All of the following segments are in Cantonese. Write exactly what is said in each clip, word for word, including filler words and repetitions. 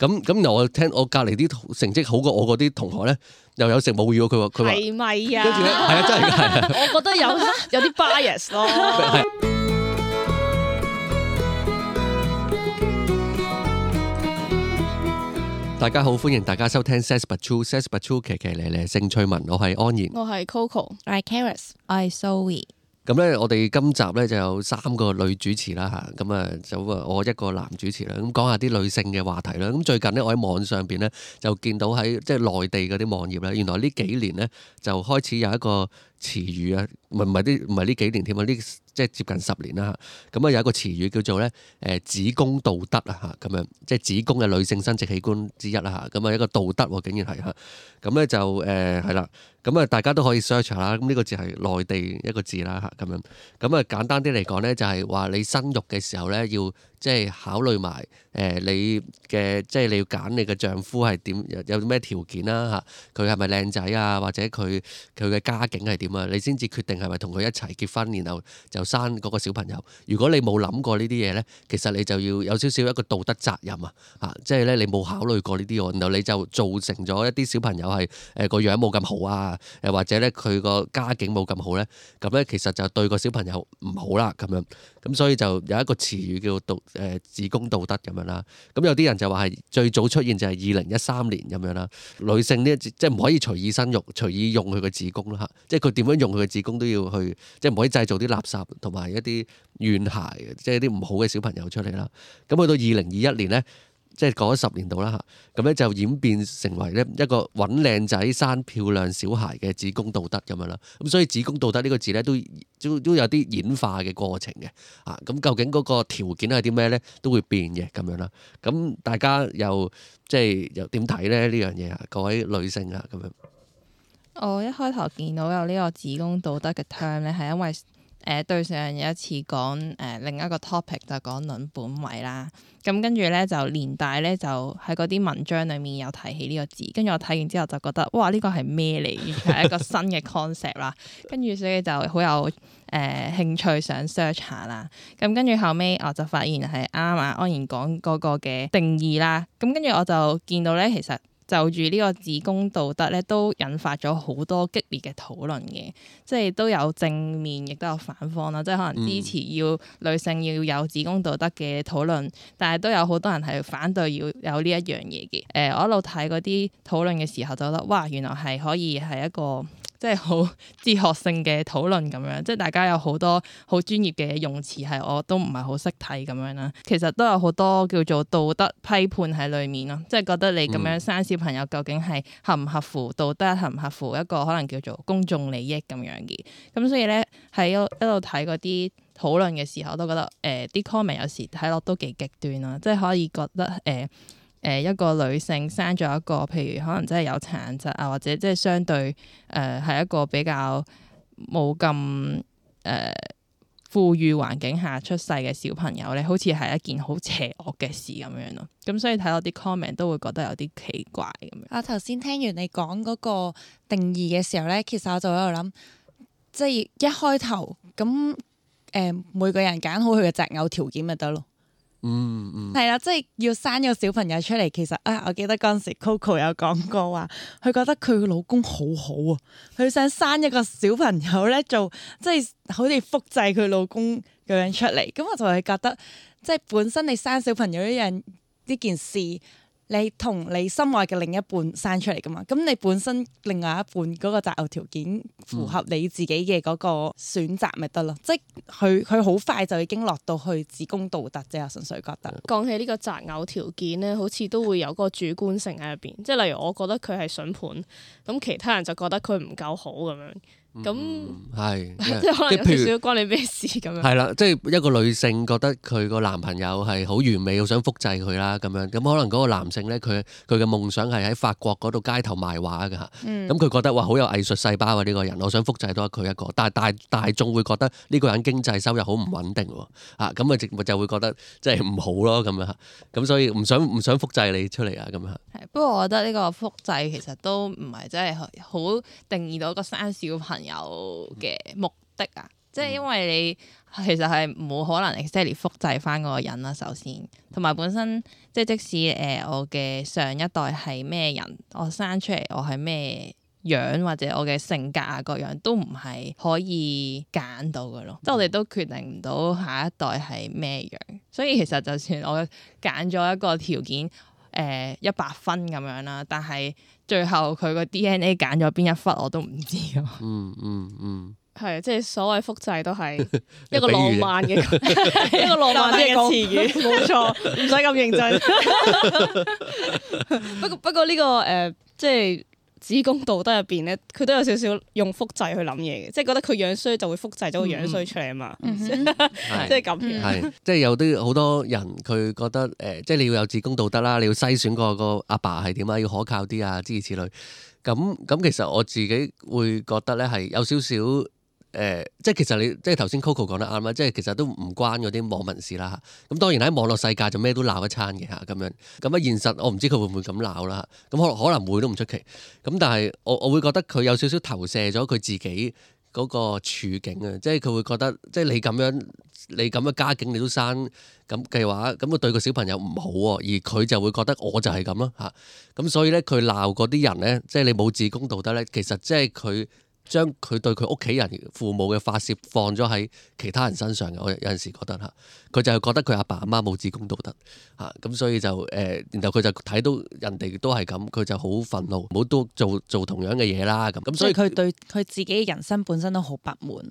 咁咁又我聽我隔離啲成績好過我嗰啲同學咧，又有食母乳，佢話佢話係咪啊？跟住咧係啊，真係㗎，係我覺得有有啲 bias 咯。大家好，歡迎大家收聽 Says But True，Says But True 騎騎咧咧性趣聞，我係安然，我係 Coco，我係 Karis，我係 Zoe。咁咧，我哋今集咧就有三個女主持啦嚇，咁啊就我一個男主持啦，咁講下啲女性嘅話題啦。咁最近呢，我喺網上邊咧就見到喺即係內地嗰啲網頁咧，原來呢幾年咧就開始有一個詞語啊，唔係唔係啲唔係呢幾年添啊，呢即係接近十年啦嚇。咁啊有一個詞語叫做咧誒子宮道德啊嚇，咁樣即係子宮嘅女性生殖器官之一啦嚇。咁啊一個道德喎，竟然係嚇。咁咧就誒係啦。咁啊，大家都可以 search 下啦。咁呢個字係內地一個字啦嚇，咁樣。咁啊，簡單啲嚟講咧，就係話你生育嘅時候咧，要即係考慮埋誒你嘅，即係你要揀你嘅丈夫係點，有有咩條件啦嚇。佢係咪靚仔啊？或者佢佢嘅家境係點啊？你先至決定係咪同佢一齊結婚，然後就生嗰個小朋友。如果你冇諗過呢啲嘢咧，其實你就要有少少一個道德責任啊嚇，即係咧你冇考慮過呢啲喎，然後你就造成咗一啲小朋友係誒個樣冇咁好啊。誒或者咧佢個家境冇咁好咧，咁咧其實就對個小朋友唔好啦咁樣，咁所以就有一個詞語叫道誒、呃、子宮道德咁樣啦。咁有啲人就話係最早出現就係二零一三年咁樣啦。女性呢即係唔可以隨意生育、隨意用佢個子宮啦嚇，即係佢點樣用佢個子宮都要去，即係唔可以製造啲垃圾同埋一啲怨孩，即係啲唔好嘅小朋友出嚟啦。咁去到二零二一年咧。即係過咗十年度啦嚇，咁咧就演變成為咧一個揾靚仔生漂亮小孩嘅子宮道德咁樣啦。咁所以子宮道德呢個字咧都都都有啲演化嘅過程嘅啊。咁究竟嗰個條件係啲咩咧，都會變嘅咁樣啦。咁大家又即係又點睇咧呢樣嘢啊？各位女性啊咁樣。我一開頭見到有呢個子宮道德嘅 term 咧，係因為誒、呃、對上有一次講誒、呃、另一個 topic 就講論本位啦。咁跟住咧就連帶咧就喺嗰啲文章裡面有提起呢個字，跟住我睇完之後就覺得哇，呢個係咩嚟？完全係一個新嘅 concept 啦。跟住所以就好有誒、呃、興趣想 search 下啦。咁跟住後尾我就發現係啱啊安然講嗰個嘅定義啦。咁跟住我就見到咧，其實就住呢個子宮道德咧，都引發咗好多激烈嘅討論嘅，即係都有正面，亦都有反方啦。即係可能支持要女性要有子宮道德嘅討論，嗯、但係都有好多人係反對要有呢一樣嘢嘅。誒、呃，我一路睇嗰啲討論嘅時候，就覺得哇，原來係可以係一個即係好哲學性嘅討論咁樣，即係大家有好多好專業嘅用詞係我都唔係好識睇咁樣啦。其實都有好多叫做道德批判喺裡面咯，即係覺得你咁樣生小朋友究竟係合唔合乎道德，合唔合乎一個可能叫做公眾利益咁樣嘅。咁所以咧喺一路睇嗰啲討論嘅時候，都覺得誒啲 comment 有時睇落都幾極端啦，即係可以覺得誒。呃誒、呃、一個女性生咗一個，譬如可能真係有殘疾啊，或者即係相對誒係、呃、一個比較冇咁誒富裕環境下出世嘅小朋友咧，好似係一件好邪惡嘅事咁樣咯。咁所以睇到啲 comment 都會覺得有啲奇怪咁樣。我頭先聽完你講嗰個定義嘅時候咧，其實我就喺度諗，即係一開頭咁誒、呃，每個人揀好佢嘅擇偶條件咪得咯。嗯嗯，係啦，即係要生個小朋友出嚟。其實啊，我記得嗰陣時 Coco 有講過話，佢覺得佢個老公好好啊，佢想生一個小朋友咧，做即係好似複製佢老公咁樣出嚟。咁我就係覺得，即係本身你生小朋友呢樣呢件事，你同你心愛嘅另一半生出嚟噶嘛？咁你本身另外一半嗰個擇偶條件符合你自己嘅嗰個選擇咪得咯？嗯、即係佢佢好快就已經落到去子宮道德啫，我純粹覺得。講起呢個擇偶條件咧，好似都會有個主觀性喺入邊，即係例如我覺得佢係筍盤，咁其他人就覺得佢唔夠好咁樣。咁係即係可能有少少關你咩事咁樣。係啦，即係一個女性覺得佢個男朋友係好完美，好想複製佢啦咁樣。咁可能嗰個男性咧，佢佢嘅夢想係喺法國嗰度街頭賣畫㗎嚇。咁佢、嗯、覺得哇，好有藝術細胞啊呢個人，我想複製多佢一個。但係大大眾會覺得呢個人經濟收入好唔穩定喎。啊，咁啊就會覺得即係唔好咯咁樣嚇。咁所以唔想唔想複製你出嚟啊咁樣。係，不過我覺得呢個複製其實都唔係真係好定義到一個生小朋友嘅目的啊，即係因為你其實係冇可能 exactly 複製翻嗰個人啦，首先，同埋本身即係即使誒、呃、我嘅上一代係咩人，我生出嚟我係咩樣或者我嘅性格啊各樣都唔係可以揀到嘅咯，即係我哋都決定唔到下一代係咩樣，所以其實就算我揀咗一個條件誒一百分咁樣啦，但係最後佢個 D N A 揀咗邊一忽我都唔知㗎嘛。嗯嗯嗯。係，即係所謂複製都係一個浪漫嘅一個浪漫嘅詞語，冇錯，唔使咁認真。不過不過呢、這個誒、呃，即係子宮道德入邊咧，佢都有少少用複製去諗嘢嘅，即係覺得佢樣衰就會複製咗個樣衰出嚟啊嘛，嗯、即係咁樣。係，即係有啲好多人佢覺得誒、呃，即係你要有子宮道德啦，你要篩選個個阿爸係點啊，要可靠啲啊，諸如此類。咁咁其實我自己會覺得咧係有少少。誒、呃，即係其實你即係頭先 Coco 講得啱啦，即係其實都唔關嗰啲網民事啦嚇。咁當然喺網絡世界就咩都鬧一餐嘅嚇咁樣。咁啊現實我唔知佢會唔會咁鬧啦。咁可能可能會都唔出奇。咁但係我我會覺得佢有少少投射咗佢自己嗰個處境啊，即係佢會覺得即係你咁樣你咁嘅家境你都生咁嘅話，咁佢對個小朋友唔好喎，而佢就會覺得我就係咁咯嚇。咁所以咧佢鬧嗰啲人咧，即係你冇子宮道德咧，其實即係佢。將佢對佢屋企人父母嘅發泄放咗喺其他人身上嘅，我有陣時覺得嚇，佢就係覺得佢阿爸阿媽冇子宮道德嚇，咁所以就誒、呃，然後佢就睇到人哋都係咁，佢就好憤怒，唔好都做做同樣嘅嘢啦咁，咁所以佢對佢自己人生本身都好不滿。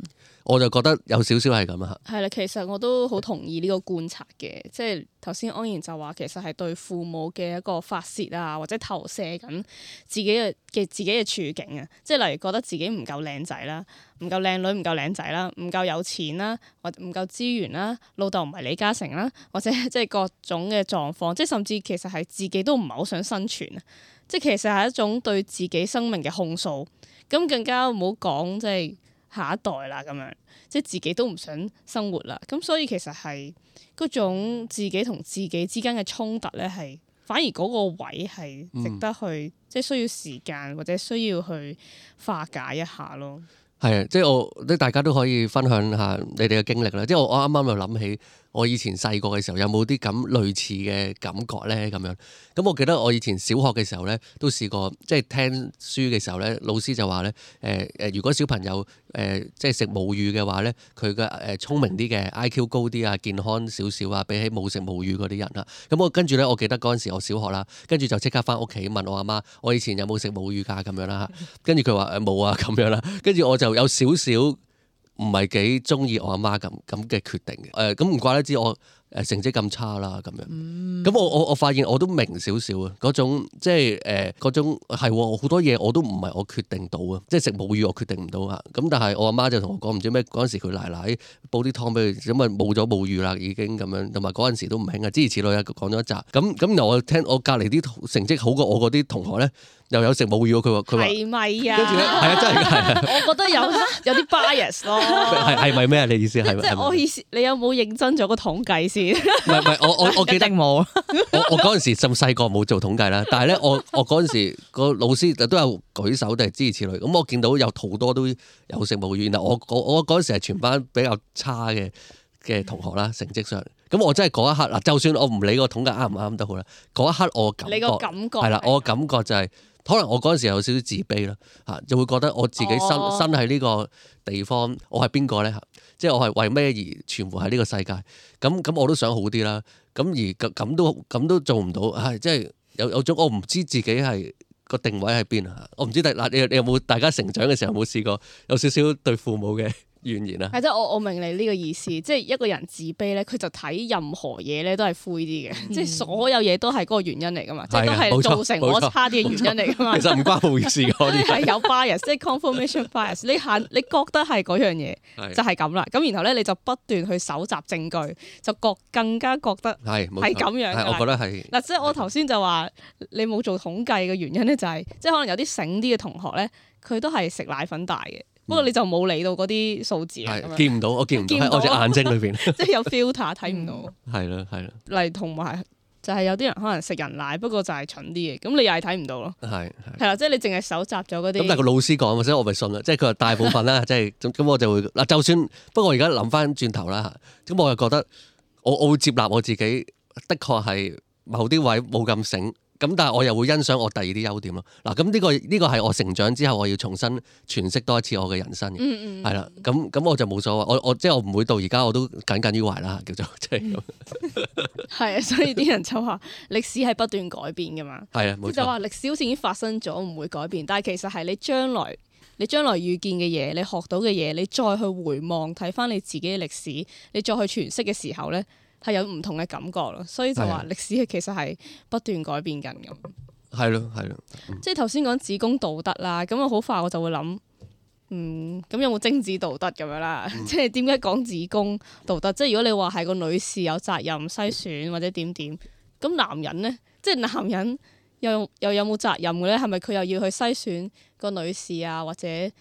我就覺得有少少係咁啊嚇。係啦，其實我都好同意呢個觀察嘅，即係頭先安然就話其實係對父母嘅一個發泄啊，或者投射緊自己嘅嘅自己嘅處境啊，即係例如覺得自己唔夠靚仔啦，唔夠靚女，唔夠靚仔啦，唔夠有錢啦，或者唔夠資源啦，老豆唔係李嘉誠啦，或者即係各種嘅狀況，即係甚至其實係自己都唔係好想生存啊，即係其實係一種對自己生命嘅控訴，咁更加唔好講即係下一代啦咁樣，即係自己都唔想生活啦，咁所以其實係嗰種自己同自己之間嘅衝突咧，係反而嗰個位係值得去，嗯、即係需要時間或者需要去化解一下咯。係啊，即係我即係大家都可以分享下你哋嘅經歷啦。即係我我啱啱又諗起我以前細個嘅時候有冇啲咁類似嘅感覺咧咁樣。咁我記得我以前小學嘅時候咧都試過，即係聽書嘅時候咧，老師就話咧誒誒，如果小朋友誒、呃、即係食母乳嘅話咧，佢嘅誒聰明啲嘅 I Q 高啲啊，健康少少啊，比起冇食母乳嗰啲人啦。咁我跟住咧，我記得嗰陣時我小學啦，跟住就即刻翻屋企問我阿媽，我以前有冇食母乳㗎咁樣啦。跟住佢話誒冇啊咁樣啦。跟住我就有少少唔係幾中意我阿媽咁咁嘅決定嘅，誒咁唔怪得知我誒成績咁差啦咁樣，咁、嗯、我我我發現我都明少少啊，嗰種即係誒嗰種係好多嘢我都唔係我決定到啊，即係食母乳我決定唔到啊，咁但係我阿媽就同我講唔知咩嗰陣時佢奶奶煲啲湯俾佢，咁啊冇咗母乳啦已經咁樣，同埋嗰陣時都唔興啊，諸如此類啊講咗一集，咁咁由我聽我隔離啲成績好過我嗰啲同學咧。又有食母乳，佢話佢話係咪啊？跟住咧，係啊，真係係。我覺得有有啲 bias 咯。係係咪咩啊？你意思係咪？即係我意思，你有冇認真做個統計先？唔係唔係，我我我記得冇。我我嗰陣時咁細個冇做統計啦，但係咧，我我嗰陣時個老師都有舉手定係諸如此類。咁我見到有好多都有食母乳，然後我我我嗰陣時係全班比較差嘅嘅同學啦，成績上。咁我真係嗰一刻嗱，就算我唔理個統計啱唔啱都好啦，嗰一刻我感覺你個感覺係啦，我感覺就係、是。可能我嗰陣時有少少自卑啦，嚇就會覺得我自己身、哦、身喺呢個地方，我係邊個咧？嚇，即係我係為咩而存活喺呢個世界？咁咁我都想好啲啦。咁而咁都咁都做唔到，係即係有有種我唔知自己係個定位喺邊啊！我唔知嗱，你你有冇大家成長嘅時候有冇試過有少少對父母嘅怨言啊？係即係我我明你呢個意思，即係一個人自卑咧，佢就睇任何嘢咧都係灰啲嘅，嗯、即係所有嘢都係嗰個原因嚟噶嘛，嗯、即係都係造成我差啲嘅原因嚟噶嘛。其實唔關冇意思嗰啲係有 bias，即係 confirmation bias。你限你覺得係嗰樣嘢就係咁啦，咁然後咧你就不斷去搜集證據，就覺更加覺得係係咁樣。係我覺得係嗱，即係我頭先就話你冇做統計嘅原因咧、就係，就係即係可能有啲醒啲嘅同學咧，佢都係食奶粉大嘅。不過你就冇理到嗰啲數字啊，見唔到，我見唔到喺我隻眼睛裏邊，即係有 filter 睇唔到。係啦，係啦。例如同埋就係有啲人可能食人奶，不過就係蠢啲嘅，咁你又係睇唔到咯。係係係啦，即係你淨係搜集咗嗰啲。咁但係個老師講，所以我咪信啦。即係佢話大部分啦，即係咁我就會嗱，就算不過我而家諗翻轉頭啦嚇，咁我又覺得我我會接納我自己，的確係某啲位冇咁醒。咁但係我又會欣賞我第二啲優點咯。嗱，咁呢個呢個係我成長之後我要重新詮釋多一次我嘅人生嘅，嗯嗯，係啦。咁咁我就冇所謂，我我即係我唔會到而家我都耿耿於懷啦，叫做即係咁。係啊，所以啲人就話歷史係不斷改變噶嘛。係啊，冇錯。就話歷史好似已經發生咗，唔會改變，但係其實係你將來你將來遇見嘅嘢，你學到嘅嘢，你再去回望睇翻你自己嘅歷史，你再去詮釋嘅時候咧，係有唔同嘅感覺咯。所以就話歷史係其實係不斷改變緊咁。係咯係咯，即係頭先講子宮道德啦，咁我好快我就會諗，嗯，咁有冇精子道德咁樣啦？嗯、即係點解講子宮道德？即係如果你話係個女士有責任篩選或者點點，咁男人咧，即係男人又又有冇責任嘅咧？係咪佢又要去篩選個女士啊，或者誒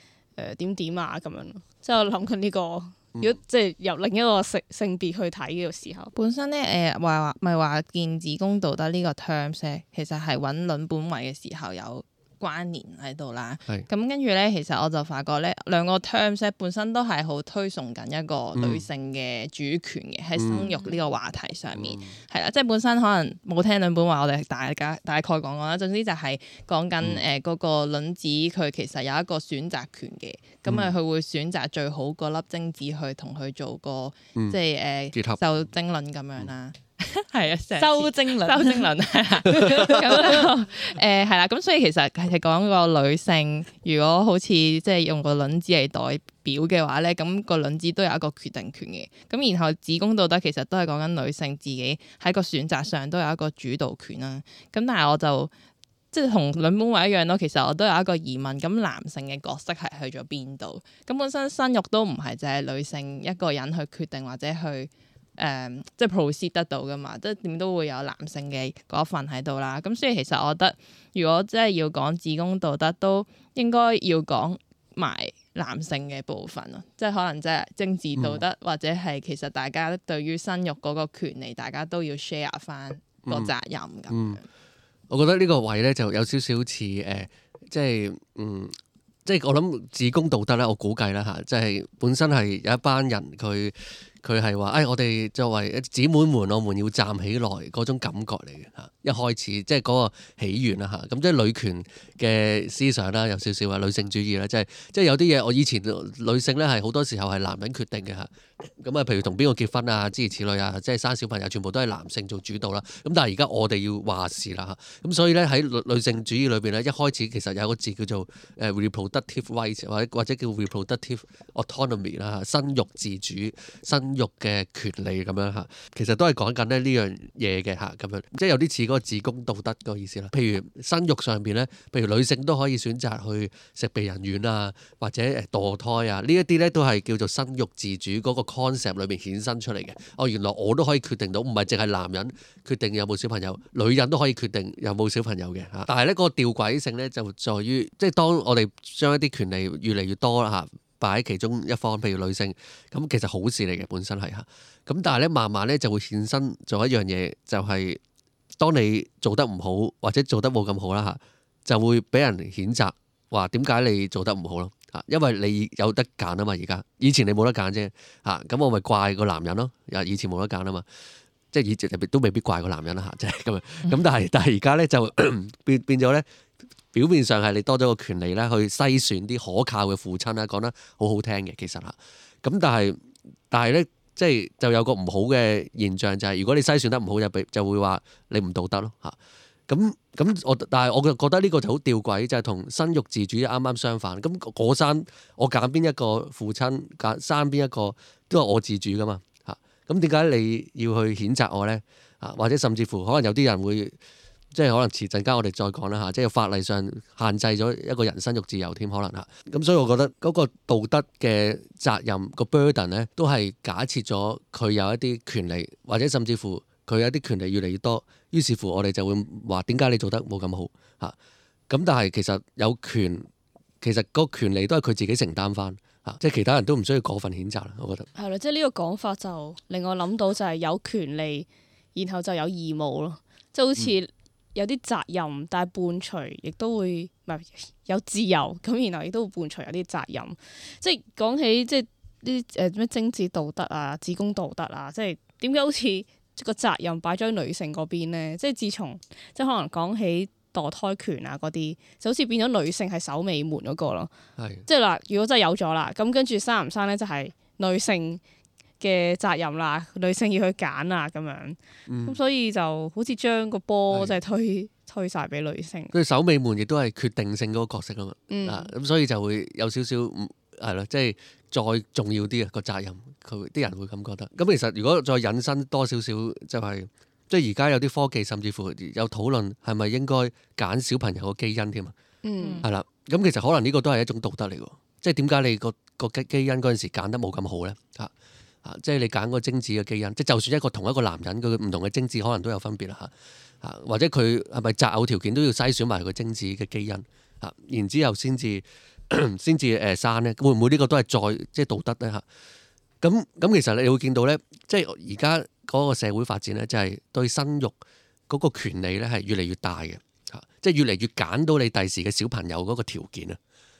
點點啊咁樣？即係我諗緊呢個。如果即係由另一個性性別去睇嘅時候，本身咧誒話話咪話見子宮道德呢個 terms 咧，其實係揾倫本位嘅時候有關聯喺度啦。咁跟住咧，其實我就發覺咧，兩個 terms 咧本身都係好推崇緊一個女性嘅主權嘅喺、嗯、生育呢個話題上面，係啦、嗯，即係本身可能冇聽倫本話，我哋大家大概講講啦。總之就係講緊誒嗰個卵子佢其實有一個選擇權嘅，咁啊佢會選擇最好嗰粒精子去同佢做個、嗯、即係誒受精卵咁樣啦。係啊，收精卵，收精卵係啦，咁誒係啦，咁所以其實係講個女性，如果好似即係用個卵子嚟代表嘅話咧，咁個卵子都有一個決定權嘅。咁然後子宮道德其實都係講緊女性自己喺個選擇上都有一個主導權啦。咁但係我就即係同倫本位一樣咯，其實我都有一個疑問，咁男性嘅角色係去咗邊度？咁本身生育都唔係就係女性一個人去決定或者去。誒、嗯，即係 proceed 得到噶嘛，即係點都會有男性嘅嗰份喺度啦。咁所以其實我覺得，如果真係要講子宮道德，都應該要講埋男性嘅部分咯。即係可能即係政治道德，嗯、或者係其實大家對於生育嗰個權利，大家都要 share 翻個責任咁、嗯嗯。我覺得呢個位咧就有少少似誒，即係嗯，即係我諗子宮道德咧，我估計啦嚇，即係本身係有一班人佢。佢係話，誒，我哋作為姊妹們，我們要站起來嗰種感覺嚟嘅嚇。一開始即係嗰個起源啦嚇，咁即係女權嘅思想啦，有少少話女性主義啦，即係即係有啲嘢，我以前女性咧係好多時候係男人決定嘅嚇。咁啊，譬如同邊個結婚啊，諸如此類啊，即係生小朋友，全部都係男性做主導啦。咁但係而家我哋要話事啦嚇。咁所以咧喺女女性主義裏邊咧，一開始其實有個字叫做誒 reproductive rights 或者或者叫 reproductive autonomy 啦，生育自主、生育嘅權利咁樣嚇。其實都係講緊咧呢樣嘢嘅嚇，咁樣即係有啲似嗰個子宮道德個意思啦。譬如生育上邊咧，譬如女性都可以選擇去食避孕丸啊，或者誒墮胎啊，呢一啲咧都係叫做生育自主嗰個 concept 裏面衍生出嚟嘅。哦，原來我都可以決定到，唔係淨係男人決定有冇小朋友，女人都可以決定有冇小朋友嘅嚇。但係咧嗰個吊詭性咧就在於，即係當我哋將一啲權利越嚟越多啦嚇，擺喺其中一方，譬如女性，咁其實好事嚟嘅本身係嚇。咁但係咧慢慢咧就會衍生做一樣嘢，就係、是、當你做得唔好或者做得冇咁好啦嚇，就會俾人譴責話點解你做得唔好咯。嚇，因為你有得揀啊嘛，而家以前你冇得揀啫嚇，咁我咪怪個男人咯。以前冇得揀啊嘛，即係以前都未必怪個男人啦嚇，即係咁樣。咁但係但係而家咧就變變咗咧，表面上係你多咗個權利咧，去篩選啲可靠嘅父親啦，講得好好聽嘅其實嚇。咁但係但係咧，即係就有個唔好嘅現象就係、是，如果你篩選得唔好，就俾就會話你唔道德咯嚇。咁咁我，但係我就覺得呢個就好吊詭，就係、是、同生育自主啱啱相反。咁我生我揀邊一個父親，揀生邊一個都係我自主噶嘛嚇。咁點解你要去譴責我咧？啊，或者甚至乎可能有啲人會即係可能遲陣間我哋再講啦嚇，即係法例上限制咗一個人生育自由添，可能嚇。咁所以我覺得嗰個道德嘅責任、個 burden 咧，都係假設咗佢有一啲權利，或者甚至乎佢有啲權利越嚟越多。於是乎，我哋就會話點解你做得冇咁好嚇？咁但係其實有權，其實個權利都係佢自己承擔翻嚇，即係其他人都唔需要過分譴責啦。我覺得係啦，即係呢個講法就令我諗到就係有權利，然後就有義務咯。即係好似有啲責任，但係伴隨亦都會唔係有自由，咁然後亦都會伴隨有啲責任。即係講起即係啲誒咩精子道德啊、子宮道德啊，即係點解好似個責任擺咗喺女性嗰邊咧？即係自從即係可能講起墮胎權啊嗰啲，就好似變咗女性係守尾門嗰個咯。係即係嗱，如果真係有咗啦，咁跟住生唔生咧就係女性嘅責任啦，女性要去揀啊咁樣。咁、嗯，所以就好似將個波即係推推曬俾女性。佢守尾門亦都係決定性嗰個角色啊嘛。嗯啊咁所以就會有少少唔係咯，即係再重要啲啊個責任，佢啲人會咁覺得。咁其實如果再引申多少少，就係即係而家有啲科技，甚至乎有討論係咪應該揀小朋友個基因添啊？嗯係啦，咁其實可能呢個都係一種道德嚟喎。即係點解你個個基基因嗰陣時揀得冇咁好咧？嚇啊！即係你揀個精子嘅基因，即係就算一個同一個男人，佢唔同嘅精子可能都有分別啦嚇嚇，或者佢係咪擇偶條件都要篩選埋佢精子嘅基因嚇，然之後先至先至誒生咧，會唔會呢個都係再即係道德咧嚇？咁咁其實你會見到咧，即係而家嗰個社會發展咧，就係對生育嗰個權利咧係越嚟越大嘅嚇，即係越嚟越揀到你第時嘅小朋友嗰個條件啊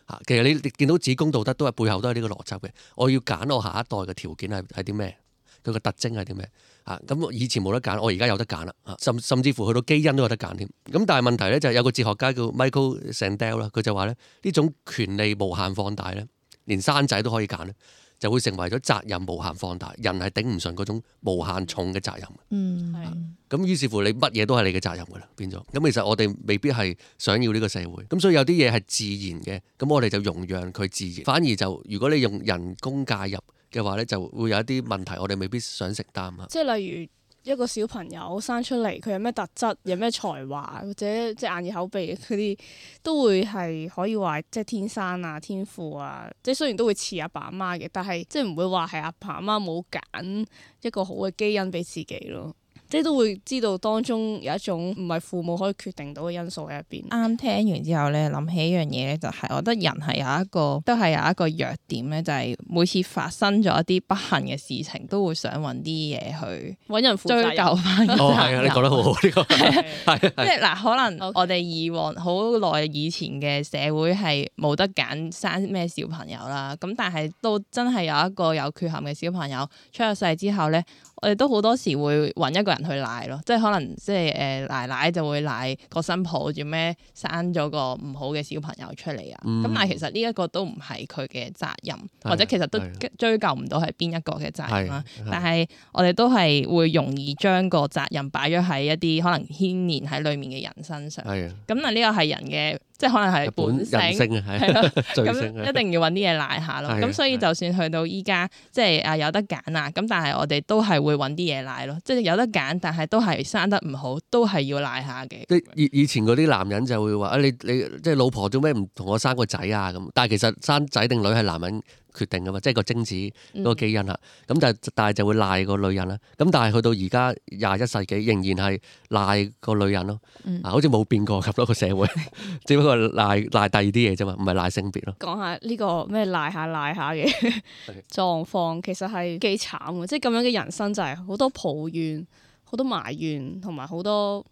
嚇。其實你你見到子宮道德都係背後都係呢個邏輯嘅，我要揀我下一代嘅條件係係啲咩？佢個特徵係啲咩？啊咁以前冇得揀，我而家有得揀啦，甚甚至乎去到基因都有得揀添。咁但係問題咧就係有個哲學家叫 Michael Sandel 啦，佢就話咧呢種權利無限放大咧，連生仔都可以揀咧，就會成為咗責任無限放大，人係頂唔順嗰種無限重嘅責任。嗯，係咁於是乎你乜嘢都係你嘅責任㗎啦，變咗。咁其實我哋未必係想要呢個社會，咁所以有啲嘢係自然嘅，咁我哋就容讓佢自然。反而就如果你用人工介入嘅話咧，就會有一啲問題，我哋未必想承擔啊。即係例如一個小朋友生出嚟，佢有咩特質，有咩才華，或者即係眼耳口鼻嗰啲，都會係可以話即係天生啊、天賦啊。即係雖然都會似阿爸阿媽嘅，但係即係唔會話係阿爸阿媽冇揀一個好嘅基因俾自己咯。即係都會知道當中有一種唔係父母可以決定到嘅因素喺入邊。啱聽完之後咧，諗起一樣嘢咧，就係我覺得人係有一個都係有一個弱點咧，就係每次發生咗一啲不幸嘅事情，都會想揾啲嘢去揾人負責追究翻。哦，係啊，你講得好好呢個係即係係嗱，可能 Okay. 我哋以往好耐以前嘅社會係冇得揀生咩小朋友啦，咁但係都真係有一個有缺陷嘅小朋友出咗世之後咧，我哋都好多時會揾一個人去賴咯，即係可能即係誒奶奶就會賴個新抱做咩生咗個唔好嘅小朋友出嚟啊，咁、嗯但係其實呢一個都唔係佢嘅責任，係或者其實都係追究唔到係邊一個嘅責任啦。係但係我哋都係會容易將個責任擺咗喺一啲可能牽連喺裡面嘅人身上。係啊，咁啊呢個係人嘅，即係可能係本人性。性啊，係係咯，罪咁性啊一定要揾啲嘢賴下咯。係咁所以係就算去到依家，即係啊有得揀啊，咁但係我哋都係會揾啲嘢賴咯。即係有得揀，但係都係生得唔好，都係要賴下嘅。即係以以前嗰啲男人就會話啊，你你即係老婆做咩唔同我生個仔啊咁？但係其實生仔定女係男人決定噶嘛，即係個精子嗰個基因啦。咁但係但係就會賴個女人啦。咁但係去到而家廿一世紀，仍然係賴個女人咯。嗯啊，好似冇變過咁咯個社會，只不過賴賴第二啲嘢啫嘛，唔係賴性別咯。講下呢個咩賴下賴下嘅狀況，其實係幾慘嘅，即係咁樣嘅人生就係好多抱怨、好多埋怨同埋好多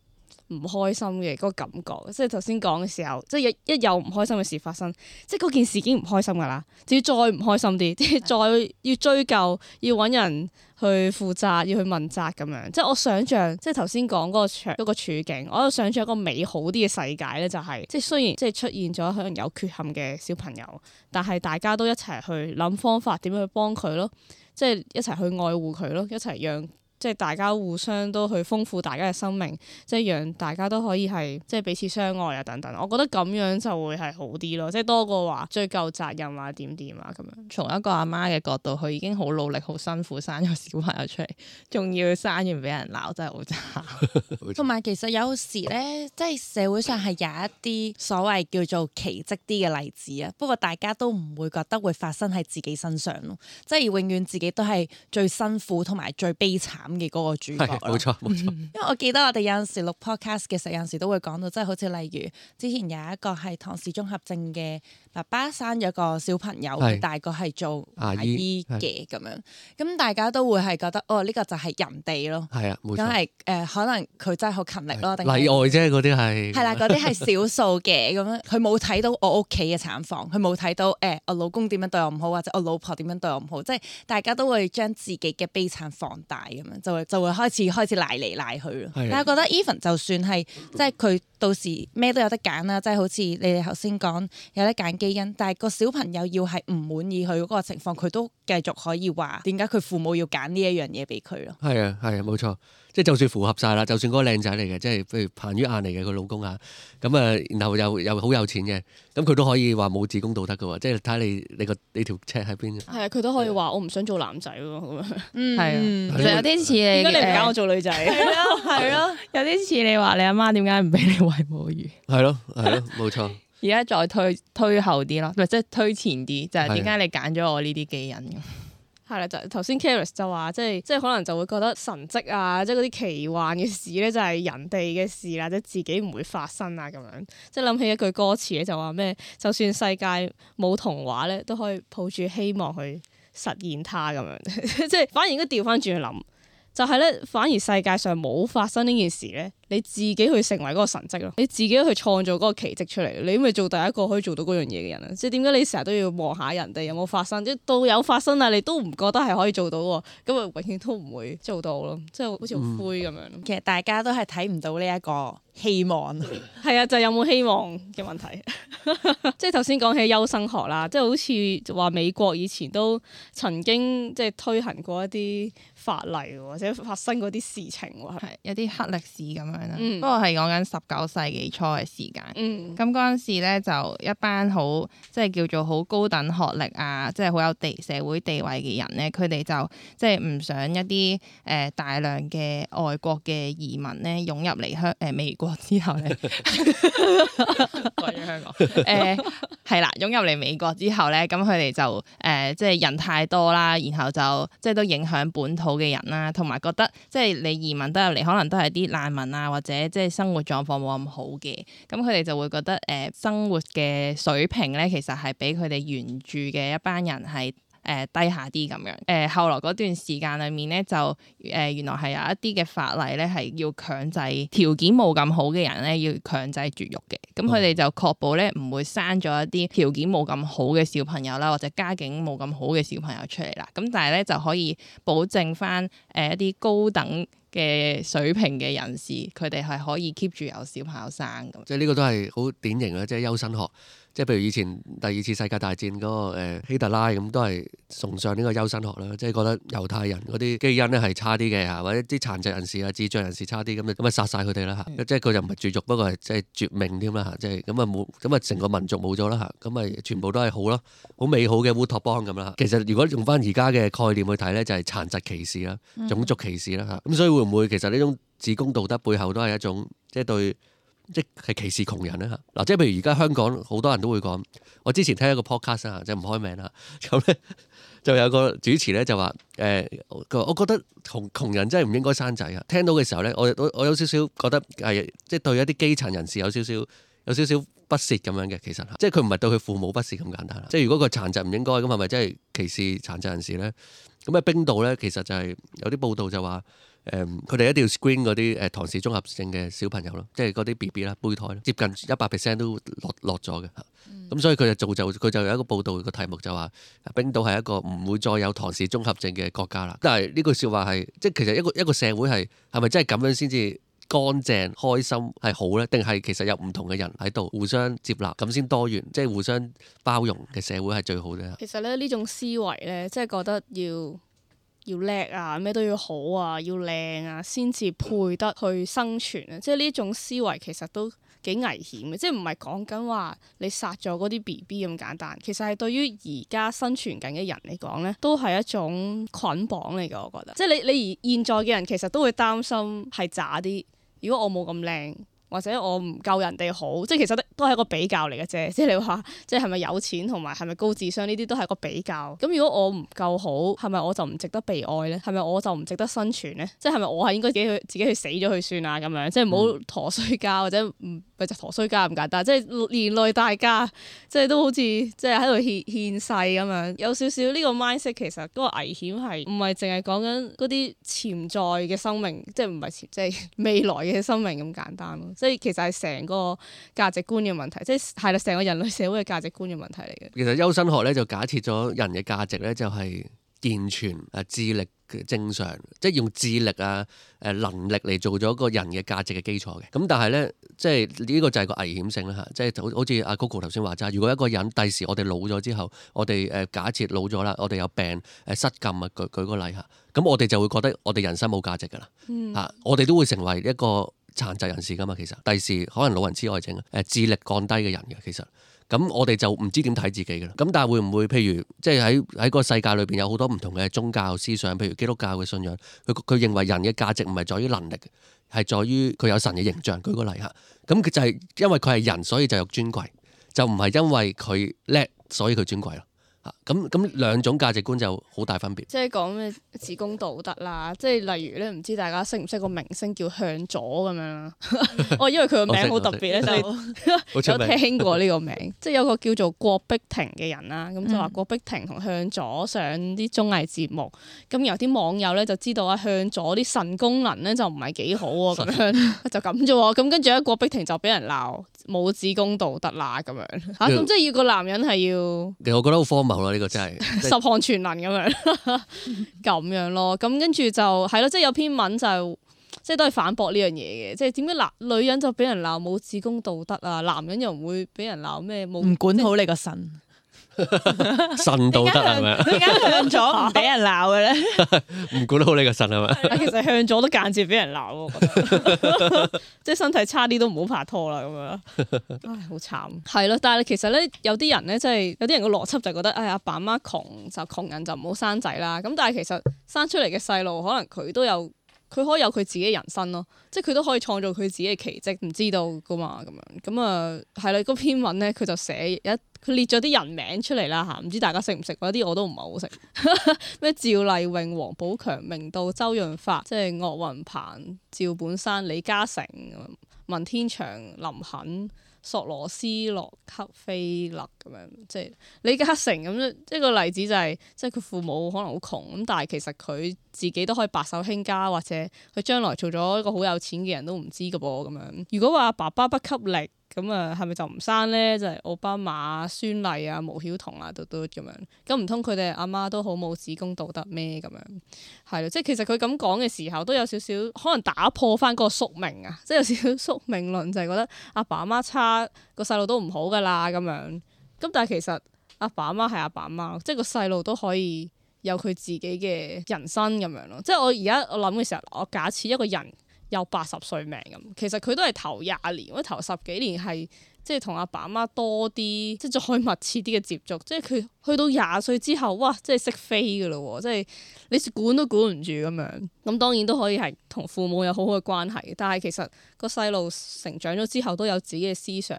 唔開心嘅嗰個感覺。即係頭先講嘅時候，即係一一有唔開心嘅事發生，即係嗰件事已經唔開心噶啦，就要再唔開心啲，即係再要追究，要揾人去負責，要去問責咁樣。即係我想像，即係頭先講嗰個場嗰個處境，我喺度想像一個美好啲嘅世界咧，就係、是、即係雖然即係出現咗可能有缺陷嘅小朋友，但係大家都一齊去諗方法點樣去幫佢咯，即係一齊去愛護佢咯，一齊讓。即係大家互相都去豐富大家嘅生命，即係讓大家都可以係即係彼此相愛啊等等。我覺得咁樣就會係好啲咯，即係多過話追究責任啊點點啊咁樣。從一個阿媽嘅角度，佢已經好努力、好辛苦生咗小朋友出嚟，仲要生完俾人鬧，真係好慘。同埋其實有時咧，即係社會上係有一啲所謂叫做奇蹟啲嘅例子啊。不過大家都唔會覺得會發生喺自己身上咯，即係永遠自己都係最辛苦同埋最悲慘嘅嗰個主角係冇錯冇錯。因為我記得我哋有陣時錄 podcast 嘅時候，有陣時都會講到，即係好似例如之前有一個係唐氏綜合症嘅爸爸生咗個小朋友，佢大個係做牙醫嘅咁樣，咁大家都會係覺得哦呢、呢個就係人哋咯，係啊冇錯。咁係誒可能佢真係好勤力咯，定例外啫，嗰啲係係啦，嗰啲係少數嘅咁樣，佢冇睇到我屋企嘅產房，佢冇睇到誒、呃、我老公點樣對我唔好，或者我老婆點樣對我唔好，即係大家都會將自己嘅悲慘放大咁樣，就會就會開始開始賴嚟賴去咯。但係覺得 even 就算係即係佢到時咩都有得揀啦，即係好似你哋頭先講有得揀基因，但係個小朋友要係唔滿意佢嗰個情況，佢都繼續可以話點解佢父母要揀呢一樣嘢俾佢咯。係啊係啊冇錯，即係就算符合晒啦，就算嗰個靚仔嚟嘅，即係譬如彭于晏嚟嘅佢老公啊，咁啊然後又又好有錢嘅，咁佢都可以話冇子宮道德嘅喎，即係睇你你個你條尺喺邊。係啊，佢都可以話我唔想做男仔喎咁樣。係啊，嗯其實有啲似你點解你唔揀我誒做女仔？係咯係咯，有啲似你話你阿媽點解唔俾你餵母乳？係咯係咯冇錯。而家再推推後啲咯，唔係即係推前啲，就係點解你揀咗我呢啲基因咁？係啦，就頭先 Caris 就話，即係即係可能就會覺得神蹟啊，即係嗰啲奇幻嘅事咧，就係人哋嘅事啦，即係自己唔會發生啊咁樣。即係諗起一句歌詞咧，就話咩？就算世界冇童話咧，都可以抱住希望去實現它咁樣。即係反而應該調翻轉去諗，就係咧，反而世界上冇發生呢件事咧，你自己去成為嗰個神蹟咯，你自己去創造嗰個奇蹟出嚟，你咪做第一個可以做到嗰樣嘢嘅人啊！即係點解你成日都要望下人哋有冇發生，即係到有發生啦，你都唔覺得係可以做到喎，咁啊永遠都唔會做到咯，即係好似好灰咁樣。其實大家都係睇唔到呢一個希望。係啊，就係有冇希望嘅問題。即係頭先講起優生學啦，即係好似話美國以前都曾經即係推行過一啲法例或者發生嗰啲事情喎，係有啲黑歷史咁樣啦，嗯不過係講緊十九世紀初嘅時間。嗯咁嗰陣時咧就一班好即係叫做好高等學歷啊，即係好有地社會地位嘅人咧，佢哋就即係唔想一啲誒、呃、大量嘅外國嘅移民咧湧入嚟香誒美國之後咧，講咗香港誒係啦，湧入嚟美國之後咧，咁佢哋就誒、呃、即係人太多啦，然後就即係都影響本土嘅人啦，同埋覺得即係你移民得入嚟，可能都係啲難民啊，或者即係生活狀況冇咁好嘅，咁佢哋就會覺得誒、呃、生活嘅水平咧，其實係比佢哋原住嘅一班人係誒、呃、低下啲咁樣。誒、呃、後來嗰段時間裏面咧，就誒、呃、原來係有一啲嘅法例咧，係要強制條件冇咁好嘅人咧，要強制絕育嘅。咁佢哋就確保咧唔會生咗一啲條件冇咁好嘅小朋友啦，或者家境冇咁好嘅小朋友出嚟啦。咁但係咧就可以保證翻誒一啲高等嘅水平嘅人士，佢哋係可以 keep 住有小朋友生咁。即係呢個都係好典型嘅，即係優生學。即係譬如以前第二次世界大戰嗰、那個、呃、希特拉咁，都係崇尚呢個優生學啦。即係覺得猶太人嗰啲基因咧係差啲嘅嚇，或者啲殘疾人士啊、智障人士差啲咁，咁啊殺晒佢哋啦嚇。嗯、即係佢就唔係絕育，不過係即係絕命添啦嚇。即係咁啊冇，咁啊成個民族冇咗啦嚇。咁啊全部都係好咯，好美好嘅烏托邦咁啦。其實如果用翻而家嘅概念去睇咧，就係、是、殘疾歧視啦、種族歧視啦嚇。咁、嗯、所以會唔會其實呢種子宮道德背後都係一種即係對？即係歧視窮人咧嚇嗱，即係譬如而家香港好多人都會講，我之前聽一個 podcast 啊，即係唔開名啦，咁咧就有個主持咧就話誒，佢、呃、我覺得窮窮人真係唔應該生仔啊！聽到嘅時候咧，我我我有少少覺得係即係對一啲基層人士有少少有少少不屑咁樣嘅，其實即係佢唔係對佢父母不屑咁簡單啦。即係如果佢殘疾唔應該咁，係咪真係歧視殘疾人士咧？咁喺冰島咧，其實就係有啲報道就話。誒，佢哋、嗯、一定要 screen 嗰啲誒唐氏綜合症嘅小朋友咯，即係嗰啲 B B 啦、胚胎接近一百 percent 都落落咗嘅。咁、嗯、所以佢就造就佢就有一個報道個題目就話，冰島係一個唔會再有唐氏綜合症嘅國家啦。但係呢句説話係即係其實一個一個社會係係咪真係咁樣先至乾淨開心係好咧？定係其實有唔同嘅人喺度互相接納咁先多元，即係互相包容嘅社會係最好嘅。其實咧呢種思維咧，即係覺得要。要叻啊，咩都要好啊，要靚啊，先至配得去生存啊！即係呢種思維其實都幾危險嘅，即係唔係講緊話你殺咗嗰啲 B B 咁簡單，其實係對於而家生存緊嘅人嚟講咧，都係一種捆綁嚟嘅。我覺得，即係你你而現在嘅人其實都會擔心係渣啲，如果我冇咁靚，或者我唔夠人哋好，即係其實都係一個比較嚟嘅啫。即係你話，即係係咪有錢同埋係咪高智商呢啲都係一個比較。咁如果我唔夠好，係咪我就唔值得被愛咧？係咪我就唔值得生存咧？即係係咪我係應該自己去自己去死咗去算啊？咁樣即係唔好陀衰家或者唔咪就陀衰家咁簡單。即係連累大家，即係都好似即係喺度獻獻世咁樣。有少少呢個 mindset 其實嗰個危險係唔係淨係講緊嗰啲潛在嘅生命，即係唔係潛即係未來嘅生命咁簡單咯。即係其實係成個價值觀嘅問題，即係係啦，成個人類社會嘅價值觀嘅問題嚟嘅。其實優生學咧就假設咗人嘅價值咧就係健全啊、智力正常，即係用智力啊、誒能力嚟做咗個人嘅價值嘅基礎嘅。咁但係咧，即係呢個就係個危險性啦嚇。即係好好似阿 Coco 頭先話齋，如果一個人第時我哋老咗之後，我哋誒假設老咗啦，我哋有病誒失禁啊，舉舉個例嚇，咁我哋就會覺得我哋人生冇價值㗎啦嚇，我哋都會成為一個殘疾人士噶嘛，其實第時可能老人痴呆症誒智力降低嘅人嘅，其實咁我哋就唔知點睇自己嘅啦。咁但係會唔會譬如即係喺喺個世界裏邊有好多唔同嘅宗教思想，譬如基督教嘅信仰，佢佢認為人嘅價值唔係在於能力，係在於佢有神嘅形象。舉個例嚇，咁佢就係因為佢係人，所以就有尊貴，就唔係因為佢叻，所以佢尊貴咯。咁咁兩種價值觀就好大分別。即係講咩自公道德啦，即係例如咧，唔知大家識唔識個明星叫向佐咁樣啦？哦，因為佢個名好特別咧，就有聽過呢個名。即係有個叫做郭碧婷嘅人啦，咁就話郭碧婷同向佐上啲綜藝節目，咁有啲網友咧就知道啊向佐啲腎功能咧就唔係幾好喎，咁樣就咁啫喎。咁跟住咧郭碧婷就俾人鬧冇子宮道德啦咁樣嚇，咁即係要個男人係要，其實我覺得好荒謬咯，呢個真係十項全能咁樣咁樣咯。咁跟住就係咯，即係有篇文就即係都係反駁呢樣嘢嘅，即係點解男女人就俾人鬧冇子宮道德啊，男人又唔會俾人鬧咩冇唔管好你個腎。腎道德係咪？點解向咗唔俾人鬧嘅咧？唔管好你個腎係咪？其實向咗都間接俾人鬧，我覺得即係身體差啲都唔好拍拖啦咁樣。唉，好慘。係咯，但係其實咧，有啲人咧，即係有啲人個邏輯就覺得，唉，阿爸阿媽窮就窮人就唔好生仔啦。咁但係其實生出嚟嘅細路，可能佢都有。佢可以有佢自己人生咯，即係佢都可以創造佢自己嘅奇蹟，唔知道噶嘛咁樣。咁啊係啦，嗰篇文咧佢就寫一佢列咗啲人名出嚟啦嚇，唔知大家識唔識？嗰啲我都唔係好識。咩趙麗穎、王寶強、明道、周潤發，即係岳雲鵬、趙本山、李嘉誠、文天祥、林肯。索羅斯洛克菲勒咁樣，即係李嘉誠咁樣，一個例子就係、是，即係佢父母可能好窮咁，但係其實佢自己都可以白手興家，或者佢將來做咗一個好有錢嘅人都唔知㗎噃咁樣。如果話爸爸不給力，咁啊係咪就唔生咧？就係、是、奧巴馬、孫儷啊、毛曉彤啊，嘟嘟咁樣。咁唔通佢哋阿媽都好冇子宮道德咩？咁樣係咯，即係其實佢咁講嘅時候都有少少可能打破翻嗰個宿命啊，即係有少少宿命論，就係、是、覺得阿爸阿媽差，個細路都唔好噶啦咁樣。咁但係其實阿爸阿媽係阿爸阿媽，即係個細路都可以有佢自己嘅人生咁樣咯。即係我而家我諗嘅時候，我假設一個人有八十歲命咁，其實佢都係頭廿年或者頭十幾年係即係同阿爸阿媽多啲，即係再密切啲嘅接觸。即係佢去到廿歲之後，哇！即係識飛㗎咯喎，即係你管都管唔住咁樣。咁當然都可以係同父母有好好嘅關係，但係其實個細路成長咗之後都有自己嘅思想，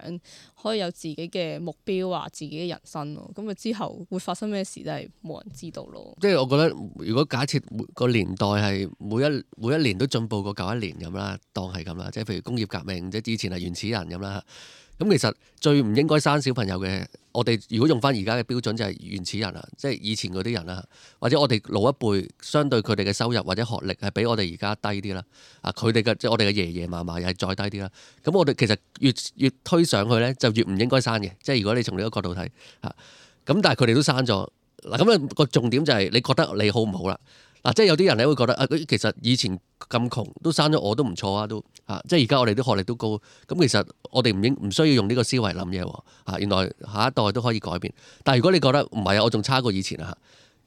可以有自己嘅目標啊，自己嘅人生咯。咁啊之後會發生咩事真係冇人知道咯。即係我覺得，如果假設個年代係每一每一年都進步過舊一年咁啦，當係咁啦，即係譬如工業革命，即係以前係原始人咁啦。咁其實最唔應該生小朋友嘅，我哋如果用翻而家嘅標準就係原始人啊，即係以前嗰啲人啦，或者我哋老一輩，相對佢哋嘅收入或者學歷係比我哋而家低啲啦。啊，佢哋嘅即係我哋嘅爺爺嫲嫲又係再低啲啦。咁我哋其實越越推上去咧，就越唔應該生嘅。即係如果你從呢個角度睇嚇，咁但係佢哋都生咗嗱。咁啊個重點就係你覺得你好唔好啦？嗱，即係有啲人咧會覺得啊，其實以前咁窮都生咗我都唔錯啊，都啊，即係而家我哋啲學歷都高，咁其實我哋唔應唔需要用呢個思維諗嘢喎。啊，原來下一代都可以改變。但係如果你覺得唔係啊，我仲差過以前啊，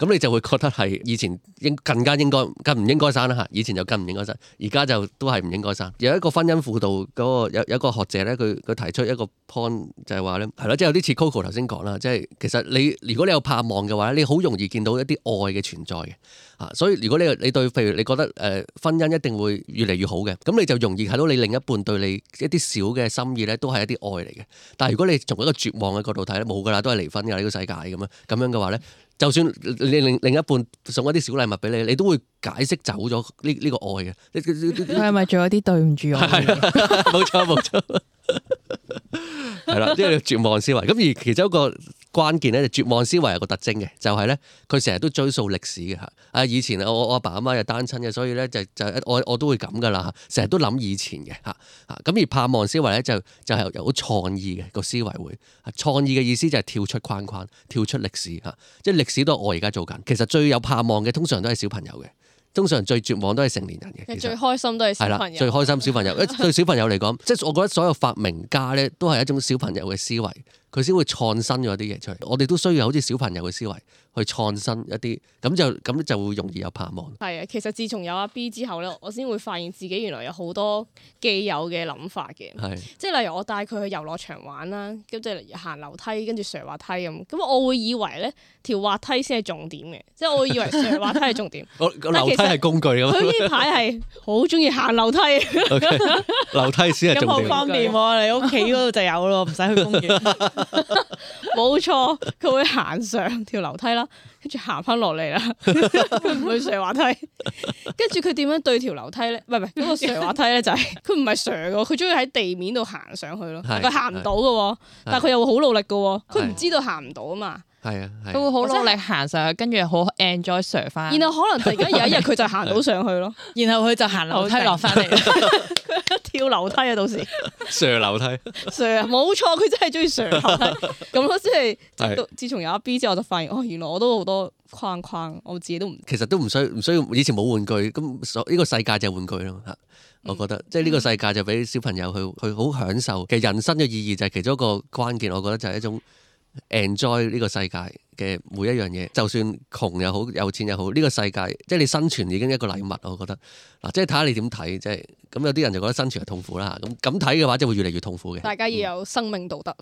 咁你就會覺得係以前應更加應該更唔應該生啦嚇，以前就更唔應該生，而家就都係唔應該生。有一個婚姻輔導嗰、那個有有一個學者咧，佢佢提出一個 point 就係話咧，係咯，即係有啲似 Coco 頭先講啦，即係其實你如果你有盼望嘅話，你好容易見到一啲愛嘅存在嘅啊。所以如果你你對譬如你覺得誒、呃、婚姻一定會越嚟越好嘅，咁你就容易睇到你另一半對你一啲小嘅心意咧，都係一啲愛嚟嘅。但係如果你從一個絕望嘅角度睇咧，冇㗎啦，都係離婚㗎呢、呢個世界咁樣咁樣嘅話咧。就算你另另一半送一啲小禮物俾你，你都會解釋走咗呢呢個愛嘅。佢係咪做一啲對唔住我？係冇錯冇錯，係啦，即係絕望思維。咁而其中一個關鍵咧，絕望思維有個特徵嘅，就係咧佢成日都追溯歷史嘅嚇。啊，以前我我阿爸阿媽又單親嘅，所以咧就就我我都會咁噶啦嚇，成日都諗以前嘅嚇嚇。咁而盼望思維咧就就係有創意嘅個思維會。創意嘅意思就係跳出框框，跳出歷史嚇，即係歷史都係我而家做緊。其實最有盼望嘅通常都係小朋友嘅。通常最絕望都係成年人嘅，其實最開心都係小朋友。最開心小朋友，對小朋友嚟講，即係我覺得所有發明家咧都係一種小朋友嘅思維，佢先會創新咗啲嘢出嚟。我哋都需要好似小朋友嘅思維去創新一啲，咁就咁就會容易有盼望。係啊，其實自從有阿 B 之後咧，我先會發現自己原來有好多既有嘅諗法嘅。係，即係例如我帶佢去遊樂場玩啦，咁即係行樓梯跟住上滑梯咁，咁我會以為咧條滑梯先係重點嘅，即係我會以為上滑梯係重點。我樓梯係工具咁。佢呢排係好中意行樓梯。Okay, 樓梯先係重點。咁好方便喎！你屋企嗰度就有咯，唔使去公園。冇錯，佢會行上條樓梯啦，跟住行翻落嚟啦，佢唔會上滑梯。跟住佢點樣對條樓梯咧？唔係唔係嗰個上滑梯咧，就係佢唔係上嘅，佢中意喺地面度行上去咯。佢行唔到嘅，但係佢又會好努力嘅，佢唔知道行唔到啊嘛。係啊，佢會好努力行上去，跟住好 enjoy 上翻。然後可能突然間有一日佢就行到上去咯，然後佢就行樓梯落翻嚟。佢跳樓梯啊，到時上樓梯。上冇錯，佢真係中意上樓梯咁咯。即係自從有阿 B 之後，我就發現哦，原來我都好多框框，我自己都唔。其實都唔需唔需要，以前冇玩具，咁呢個世界就係玩具咯嚇。我覺得、嗯、即係呢個世界就俾小朋友去去好享受。其實人生嘅意義就係其中一個關鍵，我覺得就係一種 enjoy 呢個世界嘅每一樣嘢，就算窮又好，有錢又好，呢、這個世界即係你生存已經一個禮物。我覺得嗱，即係睇下你點睇，即係咁有啲人就覺得生存係痛苦啦。咁咁睇嘅話，就會越嚟越痛苦嘅。大家要有生命道德，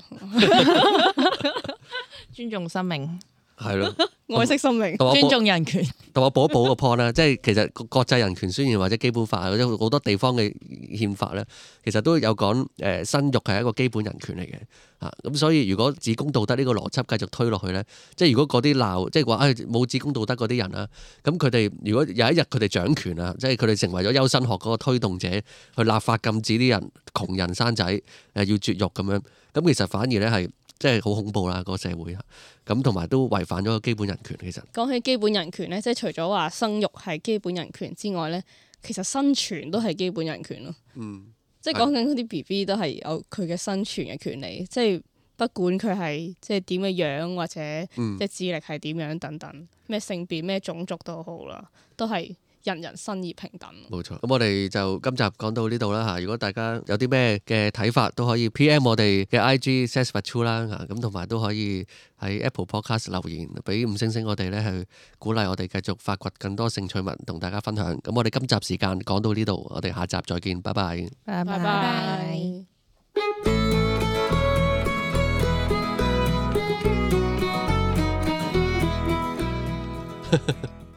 尊重生命。係咯，愛惜生命，尊重人權。同我補一補個 point 啦，即係其實國際人權宣言或者基本法或者好多地方嘅憲法咧，其實都有講誒生育係一個基本人權嚟嘅嚇。咁所以如果子宮道德呢個邏輯繼續推落去咧，即係如果嗰啲鬧即係話誒冇子宮道德嗰啲人啊，咁佢哋如果有一日佢哋掌權啊，即係佢哋成為咗優生學嗰個推動者，去立法禁止啲人窮人生仔誒要絕育咁樣，咁其實反而咧係。即係好恐怖啦，個社會咁，同埋都違反咗個基本人權。其實講起基本人權咧，即係除咗話生育係基本人權之外咧，其實生存都係基本人權咯。嗯，即係講緊嗰啲 B B 都係有佢嘅生存嘅權利，即係不管佢係即係點嘅樣或者即係智力係點樣等等，咩性別咩種族都好啦，都係。人人生而平等。冇錯，咁我哋就今集講到呢度啦嚇。如果大家有啲咩嘅睇法，都可以 P M 我哋嘅 I G says but true 啦嚇。咁同埋都可以喺 Apple Podcast 留言，俾五星星我哋咧，去鼓勵我哋繼續發掘更多興趣文同大家分享。咁我哋今集時間講到呢度，我哋下集再見，拜拜。拜拜。